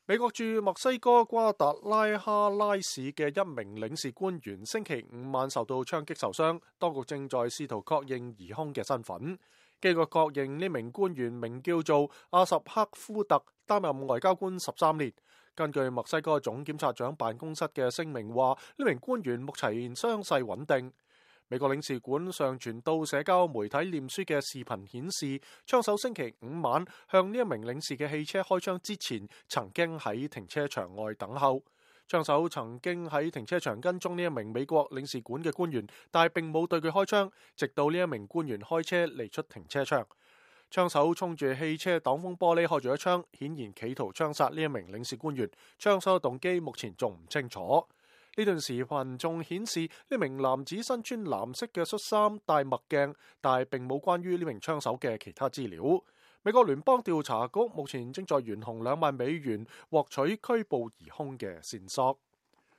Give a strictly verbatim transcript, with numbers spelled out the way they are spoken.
美國駐墨西哥瓜達拉哈拉市嘅一名領事官員星期五晚受到槍擊受傷，當局正在試圖確認疑兇嘅身份。經過確認，呢名官員名叫做阿什克夫特，擔任外交官十三年。根據墨西哥總檢察長辦公室嘅聲明話，呢名官員目前傷勢穩定。美國領事館上傳到社交媒體臉書嘅視頻顯示，槍手星期五晚向呢一名領事嘅汽車開槍之前，曾經喺停車場外等候。槍手曾經喺停車場跟蹤呢一名美國領事館嘅官員，但係並冇對佢開槍，直到呢一名官員開車離出停車場。槍手衝住汽車擋風玻璃開咗一槍，顯然企圖槍殺呢一名領事官員。槍手嘅動機目前仲唔清楚。呢段視頻仲顯示呢名男子身穿藍色嘅恤衫、戴墨鏡，但係並冇關於呢名槍手嘅其他資料。美國聯邦調查局目前正在懸紅兩萬美元獲取拘捕疑兇嘅線索。